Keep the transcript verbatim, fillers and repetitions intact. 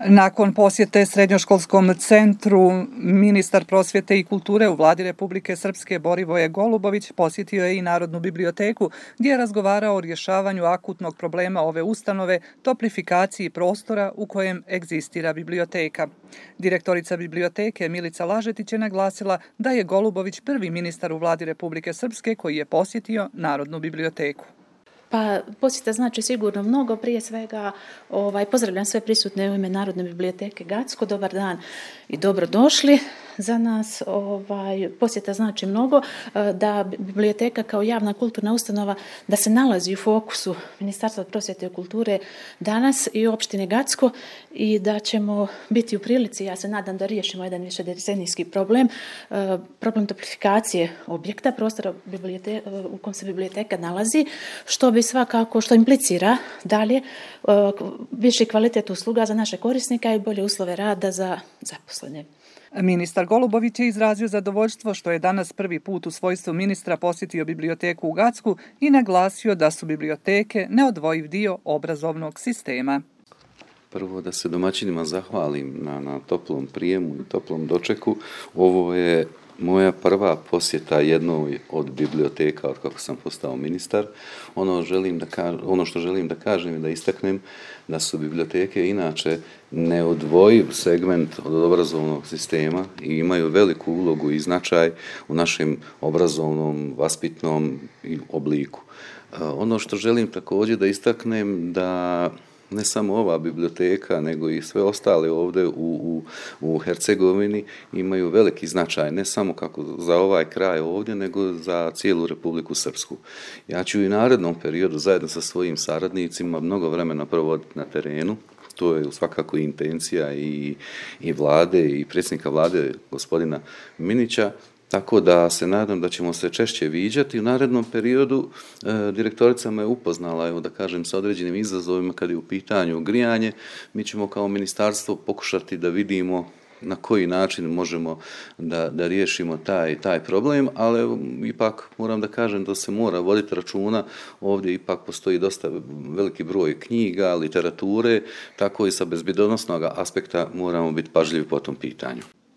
Nakon posjete Srednjoškolskom centru, ministar prosvjete i kulture u vladi Republike Srpske Borivoje Golubović posjetio je i Narodnu biblioteku, gdje je razgovarao o rješavanju akutnog problema ove ustanove, toplifikaciji prostora u kojem egzistira biblioteka. Direktorica biblioteke Milica Lažetić je naglasila da je Golubović prvi ministar u vladi Republike Srpske koji je posjetio Narodnu biblioteku. Pa posjeta znači sigurno mnogo, prije svega ovaj, pozdravljam sve prisutne u ime Narodne biblioteke Gacko, dobar dan i dobrodošli. Za nas ovaj, posjeta znači mnogo, da biblioteka kao javna kulturna ustanova da se nalazi u fokusu Ministarstva prosvjete i kulture danas i opštine Gacko i da ćemo biti u prilici, ja se nadam da riješimo jedan višedecenijski problem, problem toplifikacije objekta, prostora u kojem se biblioteka nalazi, što bi svakako, što implicira dalje viši kvalitet usluga za naše korisnika i bolje uslove rada za zaposlene. Ministar Golubović je izrazio zadovoljstvo što je danas prvi put u svojstvu ministra posjetio biblioteku u Gacku i naglasio da su biblioteke neodvojiv dio obrazovnog sistema. Prvo da se domaćinima zahvalim na, na toplom prijemu i toplom dočeku. Ovo je moja prva posjeta jednoj od biblioteka od kako sam postao ministar. Ono, želim da ka, ono što želim da kažem i da istaknem da su biblioteke inače neodvojiv segment od obrazovnog sistema i imaju veliku ulogu i značaj u našem obrazovnom, vaspitnom obliku. Ono što želim također da istaknem da ne samo ova biblioteka, nego i sve ostale ovdje u, u, u Hercegovini imaju veliki značaj, ne samo kako za ovaj kraj ovdje, nego za cijelu Republiku Srpsku. Ja ću i narednom periodu zajedno sa svojim saradnicima mnogo vremena provoditi na terenu. To je svakako intencija i, i vlade i predsjednika vlade gospodina Minića. Tako da se nadam da ćemo se češće viđati. U narednom periodu e, direktorica me upoznala, evo da kažem, sa određenim izazovima kad je u pitanju grijanje. Mi ćemo kao ministarstvo pokušati da vidimo na koji način možemo da, da riješimo taj, taj problem, ali evo, ipak moram da kažem da se mora voditi računa. Ovdje ipak postoji dosta veliki broj knjiga, literature, tako i sa bezbjedonosnog aspekta moramo biti pažljivi po tom pitanju.